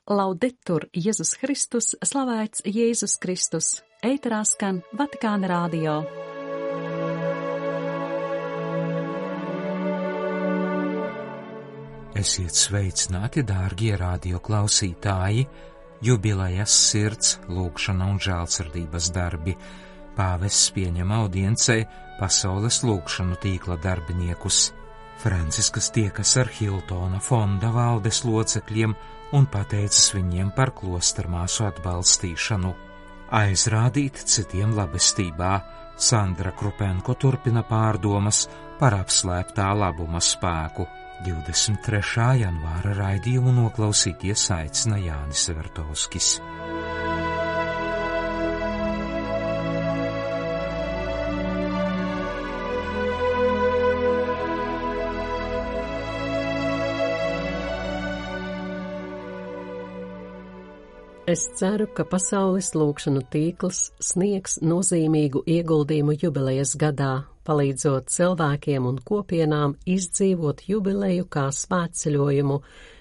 Laudetur Jēzus Kristus, slavēts Jēzus Kristus, ēterā skan Vatikāna radio. Esiet sveicināti, dārgie radio klausītāji, jubilejas sirds, lūgšana un žēlsirdības darbi. Pāvests pieņem audiencē pasaules lūgšanu tīkla darbiniekus. Franciskas tiekas ar Hiltona fonda valdes locekļiem un pateicas viņiem par klostermāsu atbalstīšanu. Aizrādīt citiem labestībā, Sandra Krupenko turpina pārdomas par apslēptā labuma spēku. 23. janvāra raidījumu noklausīties aicina Jānis Vertovskis. Es ceru, ka pasaules lūgšanu tīkls sniegs nozīmīgu ieguldījumu jubilejas gadā, palīdzot cilvēkiem un kopienām izdzīvot jubileju kā svētceļojumu,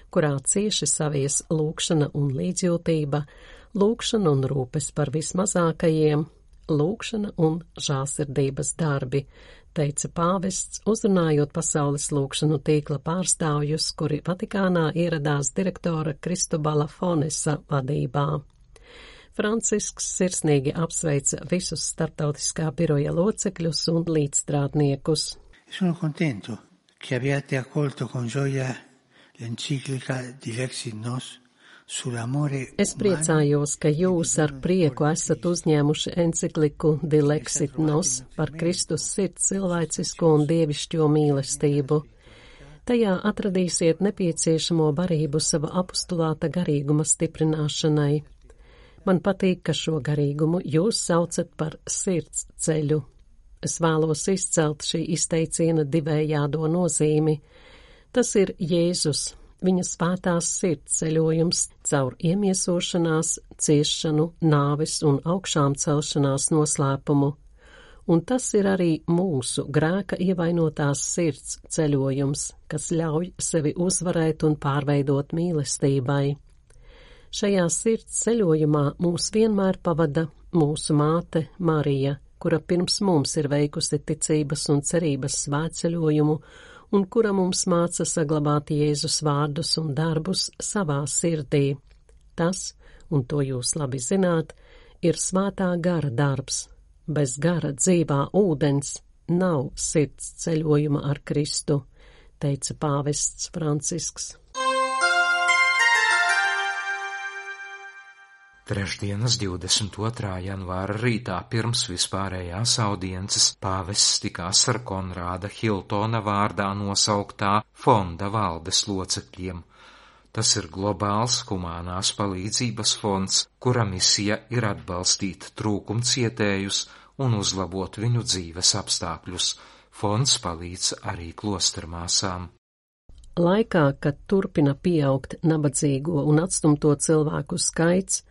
kurā cieši savies lūgšana un līdzjūtība, lūgšana un rūpes par vismazākajiem, lūgšana un žēlsirdības darbi, teica pāvests, uzrunājot pasaules lūgšanu tīkla pārstāvjus, kuri Vatikānā ieradās direktora Kristobala Fonesa vadībā. Francisks sirsnīgi apsveica visus starptautiskā biroja locekļus un līdzstrādniekus. Sono contento che abbiate accolto con gioia l'enciclica di Lexit Nos. Es priecājos, ka jūs ar prieku esat uzņēmuši encikliku Di Lexit Nos par Kristus sirds cilvēcisko un dievišķo mīlestību. Tajā atradīsiet nepieciešamo barību sava apostulāta garīguma stiprināšanai. Man patīk, ka šo garīgumu jūs saucat par sirds ceļu. Es vēlos izcelt šī izteiciena divējādo nozīmi. Tas ir Jēzus, viņa svētās sirds ceļojums caur iemiesošanās, ciešanu, nāves un augšām celšanās noslēpumu, un tas ir arī mūsu grēka ievainotās sirds ceļojums, kas ļauj sevi uzvarēt un pārveidot mīlestībai. Šajā sirds ceļojumā mūs vienmēr pavada mūsu māte Marija, kura pirms mums ir veikusi ticības un cerības svētceļojumu, un kura mums māca saglabāt Jēzus vārdus un darbus savā sirdī. Tas, un to jūs labi zināt, ir svētā gara darbs. Bez gara dzīvā ūdens nav sirds ceļojuma ar Kristu, teica pāvests Francisks. Trešdienas 22. janvāra rītā pirms vispārējās audiences pāvests tikās ar Konrāda Hiltona vārdā nosauktā fonda valdes locekļiem. Tas ir globāls humānās palīdzības fonds, kura misija ir atbalstīt trūkumcietējus un uzlabot viņu dzīves apstākļus. Fonds palīdz arī klostermāsām. Laikā, kad turpina pieaugt nabadzīgo un atstumto cilvēku skaits,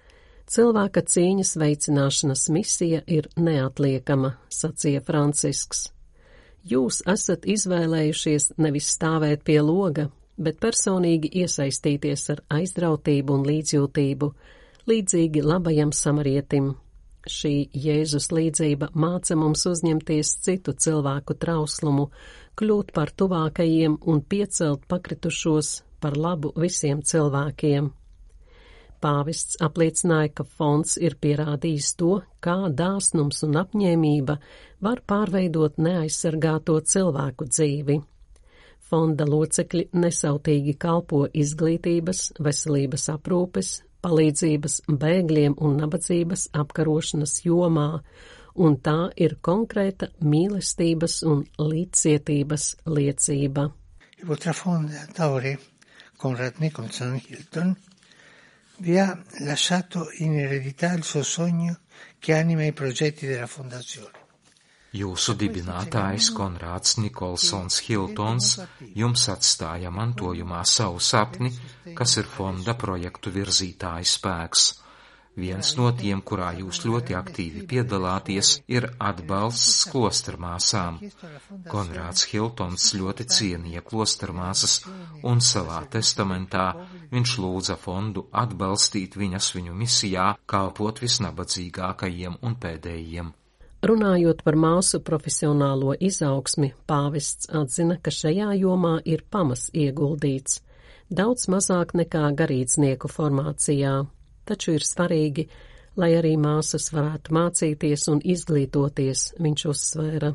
cilvēka cīņas veicināšanas misija ir neatliekama, sacīja Francisks. Jūs esat izvēlējušies nevis stāvēt pie loga, bet personīgi iesaistīties ar aizrautību un līdzjūtību, līdzīgi labajam samarietim. Šī Jēzus līdzība māca mums uzņemties citu cilvēku trauslumu, kļūt par tuvākajiem un piecelt pakritušos par labu visiem cilvēkiem. Pāvests apliecināja, ka fonds ir pierādījis to, kā dāsnums un apņēmība var pārveidot neaizsargāto cilvēku dzīvi. Fonda locekļi nesautīgi kalpo izglītības, veselības aprūpes, palīdzības bēgļiem un nabadzības apkarošanas jomā, un tā ir konkrēta mīlestības un līdzcietības liecība. Il fondatore Konrad Nicholson Hilton vi ha lasciato in eredità il suo sogno che anima i progetti della fondazione. Jūsu dibinātājs Konrāds Nikolsons Hiltons jums atstāja mantojumā savu sapni, kas ir fonda projektu virzītāja spēks. Viens no tiem, kurā jūs ļoti aktīvi piedalāties, ir atbalsts klostermāsām. Konrāds Hiltons ļoti cienīja klostermāsas, un savā testamentā viņš lūdza fondu atbalstīt viņu misijā, kalpot visnabadzīgākajiem un pēdējiem. Runājot par māsu profesionālo izaugsmi, pāvests atzina, ka šajā jomā ir pamas ieguldīts, daudz mazāk nekā garīdznieku formācijā. Taču ir svarīgi, lai arī māsas varētu mācīties un izglītoties, viņš uzsvēra.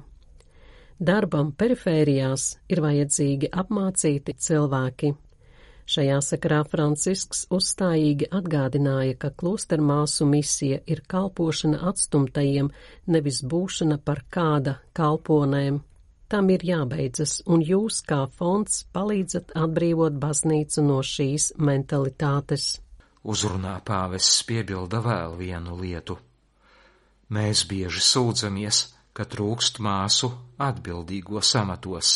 Darbam perifērijās ir vajadzīgi apmācīti cilvēki. Šajā sakarā Francisks uzstājīgi atgādināja, ka klostermāsu misija ir kalpošana atstumtajiem, nevis būšana par kāda kalponēm. Tam ir jābeidzas, un jūs kā fonds palīdzat atbrīvot baznīcu no šīs mentalitātes. Uzrunā pāvests piebilda vēl vienu lietu. Mēs bieži sūdzamies, ka trūkst māsu atbildīgos amatos,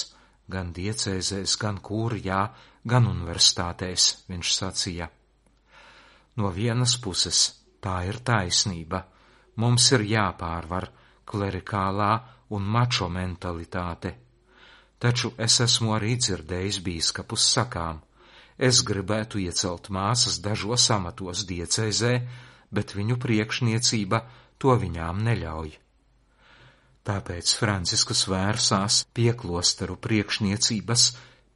gan diecēzēs, gan kūrijā, gan universitātēs, viņš sacīja. No vienas puses tā ir taisnība, mums ir jāpārvar klerikālā un mačo mentalitāte, taču es esmu arī dzirdējis bīskapus sakām. Es gribētu iecelt māsas dažos amatos diecēzē, bet viņu priekšniecība to viņām neļauj. Tāpēc Franciskus vērsās pie klosteru priekšniecības,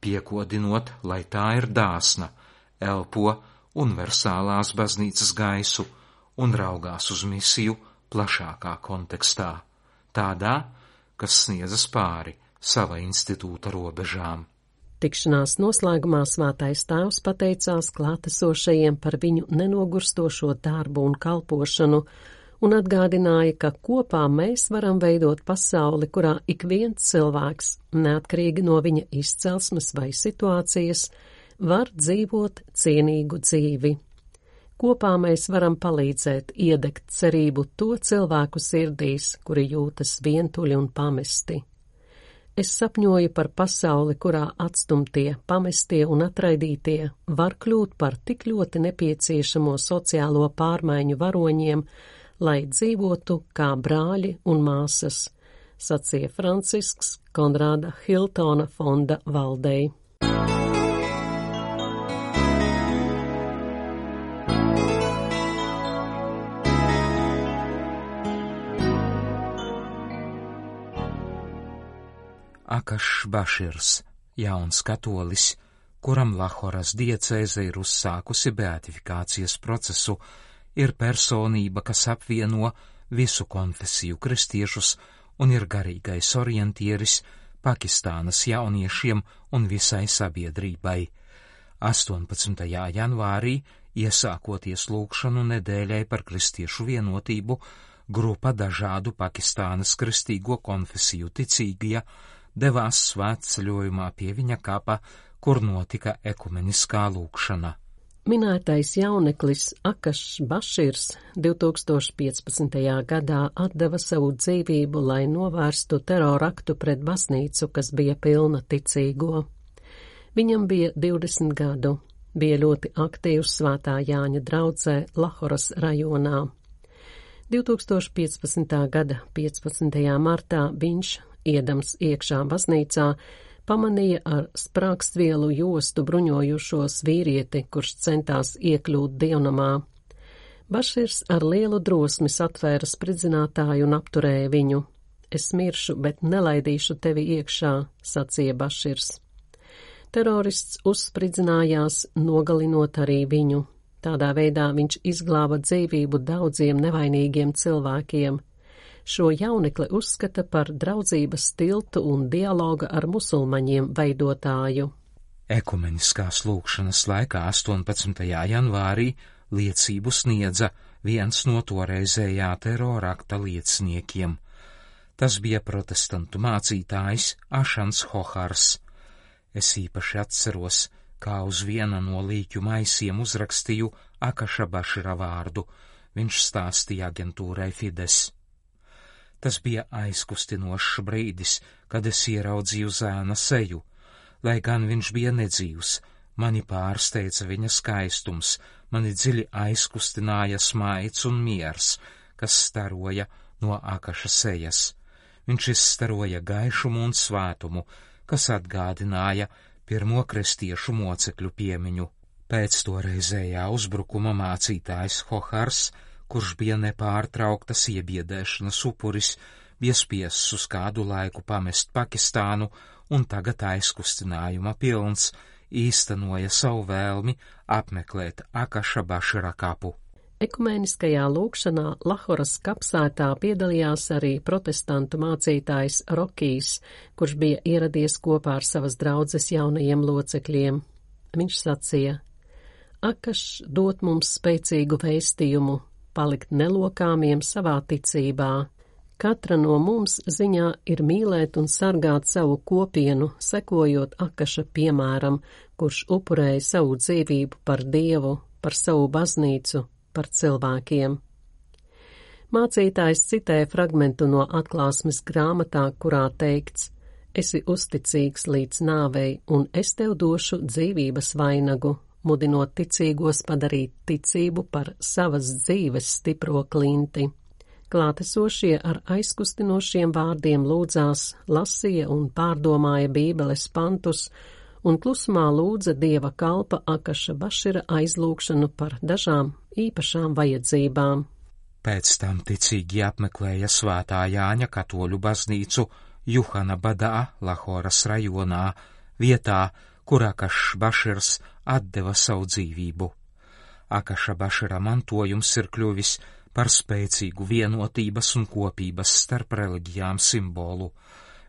piekodinot, lai tā ir dāsna, elpo universālās baznīcas gaisu un raugās uz misiju plašākā kontekstā, tādā, kas sniedzas pāri sava institūta robežām. Tikšanās noslēgumā Svētais Tēvs pateicās klātesošajiem par viņu nenogurstošo darbu un kalpošanu un atgādināja, ka kopā mēs varam veidot pasauli, kurā ik viens cilvēks, neatkarīgi no viņa izcelsmes vai situācijas, var dzīvot cienīgu dzīvi. Kopā mēs varam palīdzēt iedegt cerību to cilvēku sirdīs, kuri jūtas vientuļi un pamesti. Es sapņoju par pasauli, kurā atstumtie, pamestie un atraidītie var kļūt par tik ļoti nepieciešamo sociālo pārmaiņu varoņiem, lai dzīvotu kā brāļi un māsas, sacīja Francisks Konrāda Hiltona fonda valdei. Akašs Baširs, jauns katolis, kuram Lahoras diecēze ir uzsākusi beatifikācijas procesu, ir personība, kas apvieno visu konfesiju kristiešus un ir garīgais orientieris Pakistānas jauniešiem un visai sabiedrībai. 18. janvārī, iesākoties lūgšanu nedēļai par kristiešu vienotību, grupa dažādu Pakistānas kristīgo konfesiju ticīgie devās svētceļojumā pie viņa kapa, kur notika ekumeniskā lūgšana. Minētais jauneklis Akašs Baširs 2015. gadā atdeva savu dzīvību, lai novērstu teroraktu pret baznīcu, kas bija pilna ticīgo. Viņam bija 20 gadu, bija ļoti aktīvs Svētā Jāņa draudzē Lahoras rajonā. 2015. gada 15. martā viņš, iedams iekšā baznīcā, pamanīja ar sprākstvielu jostu bruņojušos vīrieti, kurš centās iekļūt dievnamā. Baširs ar lielu drosmi satvēra spridzinātāju un apturēja viņu. Es miršu, bet nelaidīšu tevi iekšā, sacīja Baširs. Terorists uzspridzinājās, nogalinot arī viņu. Tādā veidā viņš izglāba dzīvību daudziem nevainīgiem cilvēkiem. Šo jaunekli uzskata par draudzības tiltu un dialoga ar musulmaņiem veidotāju. Ekumeniskās lūgšanas laikā 18. janvārī liecību sniedza viens no toreizējā terorakta lieciniekiem. Tas bija protestantu mācītājs Ašans Hohars. Es īpaši atceros, kā uz viena no līķu maisiem uzrakstīju Akaša Bašira vārdu. Viņš stāstīja aģentūrai Fides. Tas bija aizkustinošs brīdis, kad es ieraudzīju zēna seju. Lai gan viņš bija nedzīvs, Mani pārsteidza viņa skaistums, mani dziļi aizkustināja smaids un miers, kas staroja no Akaša sejas. Viņš izstaroja gaišumu un svētumu, kas atgādināja pirmo kristiešu mocekļu piemiņu. Pēc toreizējā uzbrukuma mācītājs Hohars, kurš bija nepārtrauktas iebiedēšanas upuris, bija spiests uz kādu laiku pamest Pakistānu un tagad aizkustinājuma pilns īstenoja savu vēlmi apmeklēt Akaša Bašira kapu. Ekumeniskajā lūgšanā Lahoras kapsētā piedalījās arī protestantu mācītājs Rokijs, kurš bija ieradies kopā ar savas draudzes jaunajiem locekļiem. Viņš sacīja: Akašs dot mums spēcīgu vēstījumu, palikt nelokāmiem savā ticībā. Katra no mums ziņā ir mīlēt un sargāt savu kopienu, sekojot Akaša piemēram, kurš upurēja savu dzīvību par Dievu, par savu baznīcu, par cilvēkiem. Mācītājs citēja fragmentu no atklāsmes grāmatā, kurā teikts: Esi uzticīgs līdz nāvei, un es tev došu dzīvības vainagu, mudinot ticīgos padarīt ticību par savas dzīves stipro klinti. Klātesošie ar aizkustinošiem vārdiem lūdzās, lasīja un pārdomāja Bībeles pantus, un klusumā lūdza Dieva kalpa Akaša Bašira aizlūgšanu par dažām īpašām vajadzībām. Pēc tam ticīgi apmeklēja Svētā Jāņa katoļu baznīcu Juhanabadā, Lahoras rajonā, vietā, kur Akašs Baširs atdeva savu dzīvību. Akaša Bašira mantojums ir kļuvis par spēcīgu vienotības un kopības starp reliģijām simbolu.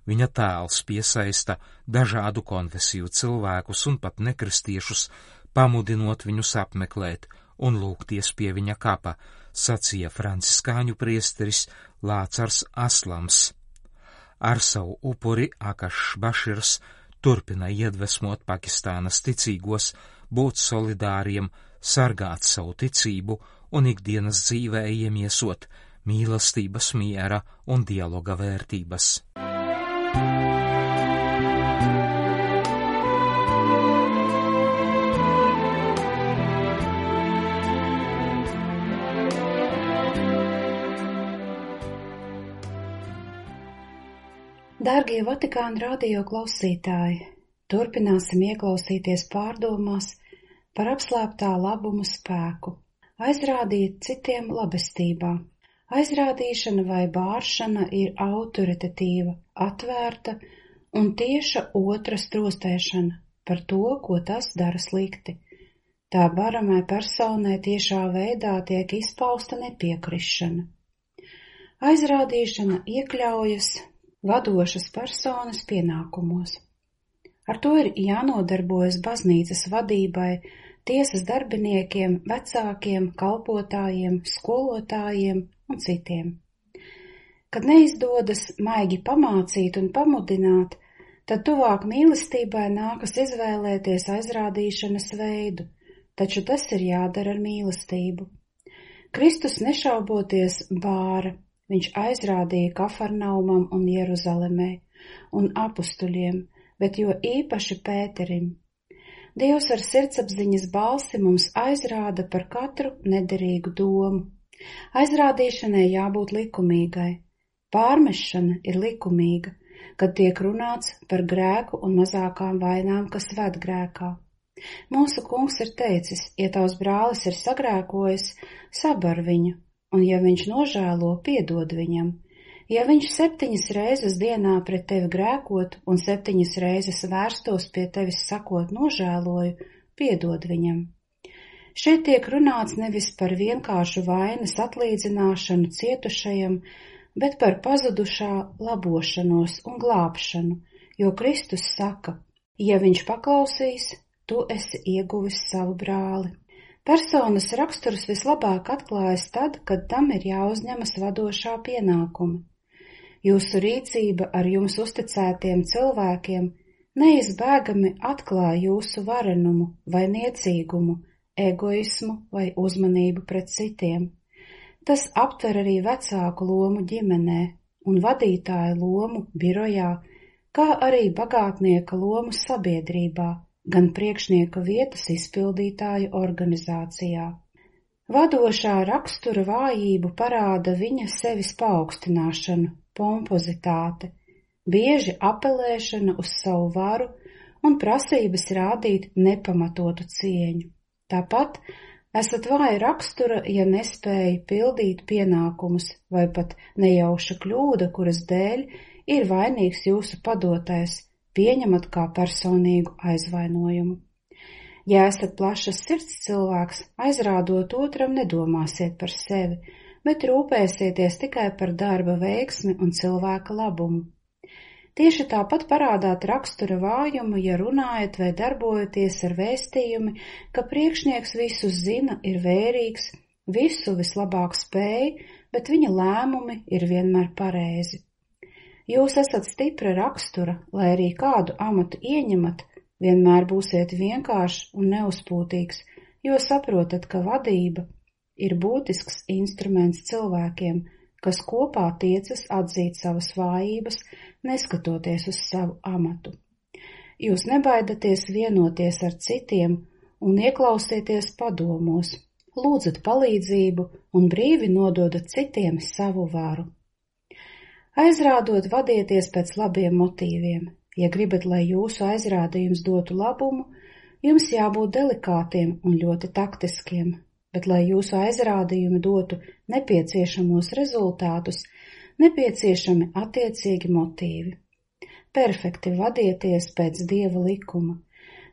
Viņa tēls piesaista dažādu konfesiju cilvēkus un pat nekristiešus, pamudinot viņus apmeklēt un lūgties pie viņa kapa, sacīja franciskāņu priesteris Lācars Aslams. Ar savu upuri Akašs Baširs turpina iedvesmot Pakistānas ticīgos būt solidāriem, sargāt savu ticību un ikdienas dzīvē iemiesot mīlestības, miera un dialoga vērtības. Dārgie Vatikāna radio klausītāji, turpināsim ieklausīties pārdomās par apslēptā labuma spēku, aizrādīt citiem labestībā. Aizrādīšana vai bāršana ir autoritatīva, atvērta un tieša otra strostēšana par to, ko tas dara slikti. Tā baramai personai tiešā veidā tiek izpausta nepiekrišana. Aizrādīšana iekļaujas vadošas personas pienākumos. Ar to ir jānodarbojas baznīcas vadībai, tiesas darbiniekiem, vecākiem, kalpotājiem, skolotājiem un citiem. Kad neizdodas maigi pamācīt un pamudināt, tad tuvāk mīlestībai nākas izvēlēties aizrādīšanas veidu, taču tas ir jādara ar mīlestību. Kristus nešauboties bāra. Viņš aizrādīja Kafarnaumam un Jeruzalemē un apustuļiem, bet jo īpaši Pēterim. Dievs ar sirdsapziņas balsi mums aizrāda par katru nederīgu domu. Aizrādīšanai jābūt likumīgai. Pārmešana ir likumīga, kad tiek runāts par grēku un mazākām vainām, kas ved grēkā. Mūsu kungs ir teicis, ja tavs brālis ir sagrēkojis, sabar viņu. Un ja viņš nožēlo, piedod viņam. Ja viņš 7 reizes dienā pret tevi grēkot un 7 reizes vērstos pie tevis sakot nožēloju, piedod viņam. Šeit tiek runāts nevis par vienkāršu vainas atlīdzināšanu cietušajam, bet par pazudušā labošanos un glābšanu, jo Kristus saka, ja viņš paklausīs, tu esi ieguvis savu brāli. Personas raksturs vislabāk atklājas tad, kad tam ir jāuzņemas vadošā pienākuma. Jūsu rīcība ar jums uzticētiem cilvēkiem neizbēgami atklāja jūsu varenumu vai niecīgumu, egoismu vai uzmanību pret citiem. Tas aptver arī vecāku lomu ģimenē un vadītāju lomu birojā, kā arī bagātnieka lomu sabiedrībā, gan priekšnieka vietas izpildītāju organizācijā. Vadošā rakstura vājību parāda viņa sevis paaugstināšanu, pompozitāte, bieži apelēšana uz savu varu un prasības rādīt nepamatotu cieņu. Tāpat esat vāja rakstura, ja nespēja pildīt pienākumus vai pat nejauša kļūda, kuras dēļ ir vainīgs jūsu padotais, pieņemat kā personīgu aizvainojumu. Ja esat plašas sirds cilvēks, aizrādot otram nedomāsiet par sevi, bet rūpēsieties tikai par darba veiksmi un cilvēka labumu. Tieši tāpat parādāt rakstura vājumu, ja runājat vai darbojaties ar vēstījumi, ka priekšnieks visu zina, ir vērīgs, visu vislabāk spēj, bet viņa lēmumi ir vienmēr pareizi. Jūs esat stipra rakstura, lai arī kādu amatu ieņemat, vienmēr būsiet vienkāršs un neuzpūtīgs, jo saprotat, ka vadība ir būtisks instruments cilvēkiem, kas kopā tiecas atzīt savas vājības, neskatoties uz savu amatu. Jūs nebaidaties vienoties ar citiem un ieklausieties padomos, lūdzat palīdzību un brīvi nododat citiem savu varu. Aizrādot, vadieties pēc labiem motīviem. Ja gribat, lai jūsu aizrādījums dotu labumu, jums jābūt delikātiem un ļoti taktiskiem, bet, lai jūsu aizrādījumi dotu nepieciešamos rezultātus, nepieciešami attiecīgi motīvi. Perfekti vadieties pēc Dieva likuma.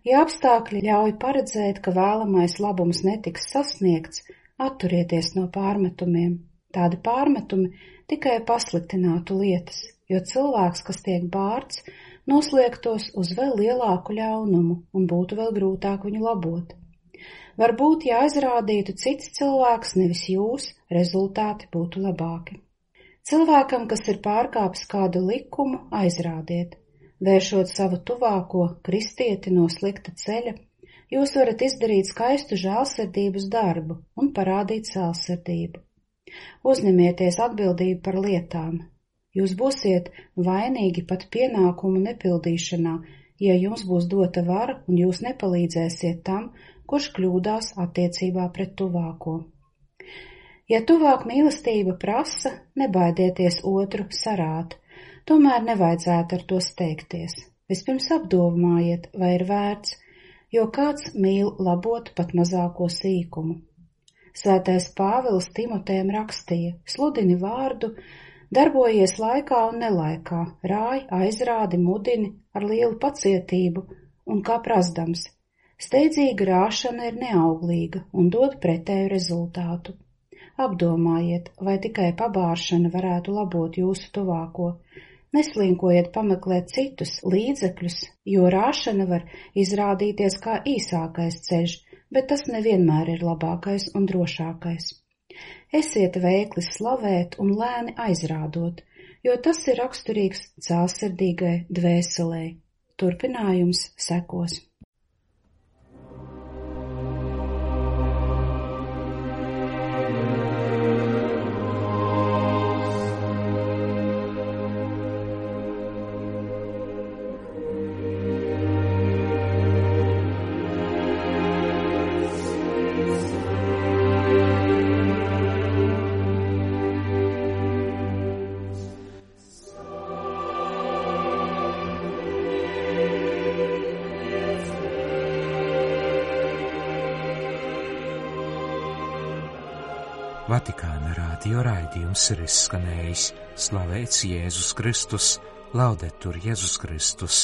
Ja apstākļi ļauj paredzēt, ka vēlamais labums netiks sasniegts, atturieties no pārmetumiem. Tādi pārmetumi tikai pasliktinātu lietas, jo cilvēks, kas tiek bārts, noslēgtos uz vēl lielāku ļaunumu un būtu vēl grūtāk viņu labot. Varbūt, ja aizrādītu cits cilvēks, nevis jūs, rezultāti būtu labāki. Cilvēkam, kas ir pārkāpis kādu likumu, aizrādiet. Vēršot savu tuvāko kristieti no slikta ceļa, jūs varat izdarīt skaistu žēlsirdības darbu un parādīt žēlsirdību. Uzņemieties atbildību par lietām. Jūs būsiet vainīgi pat pienākumu nepildīšanā, ja jums būs dota vara un jūs nepalīdzēsiet tam, kurš kļūdās attiecībā pret tuvāko. Ja tuvāk mīlestība prasa, nebaidieties otru sarāt, tomēr nevajadzētu ar to steigties. Vispirms apdomājiet, vai ir vērts, jo kāds mīl labot pat mazāko sīkumu. Svētais Pāvils Timotejam rakstīja: sludini vārdu, darbojies laikā un nelaikā, rāj, aizrādi, mudini ar lielu pacietību un kā prasdams. Steidzīga rāšana ir neauglīga un dod pretēju rezultātu. Apdomājiet, vai tikai pabāršana varētu labot jūsu tuvāko. Neslinkojiet pameklēt citus līdzekļus, jo rāšana var izrādīties kā īsākais ceļš, bet tas nevienmēr ir labākais un drošākais. Esiet veikli slavēt un lēni aizrādot, jo tas ir raksturīgs cēlsirdīgai dvēselei. Turpinājums sekos. Vatikāna radio raidījums ir izskanējis. Slavēts Jēzus Kristus, Laudetur Jēzus Kristus.